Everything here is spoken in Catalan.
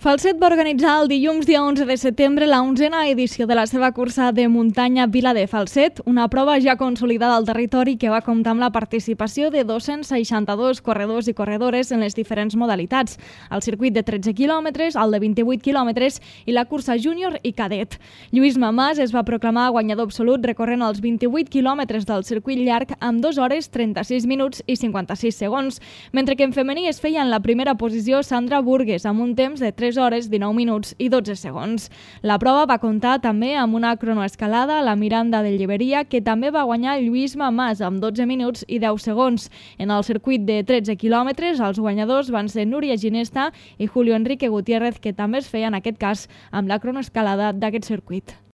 Falset va organitzar el dilluns dia 11 de setembre la 11a edició de la seva cursa de muntanya Vila de Falset, una prova ja consolidada al territori que va comptar amb la participació de 262 corredors i corredores en les diferents modalitats, el circuit de 13 quilòmetres, el de 28 quilòmetres i la cursa júnior i cadet. Lluís Mamàs es va proclamar guanyador absolut recorrent els 28 quilòmetres del circuit llarg amb 2 hores 36 minuts i 56 segons, mentre que en femení es feia en la primera posició Sandra Burgues amb un temps de 3 hores, 19 minuts i 12 segons. La prova va comptar també amb una cronoescalada a la Miranda de Lleberia, que també va guanyar Lluís Mamàs amb 12 minuts i 10 segons. En el circuit de 13 quilòmetres, els guanyadors van ser Núria Ginesta i Julio Enrique Gutiérrez, que també es feia en aquest cas amb la cronoescalada d'aquest circuit.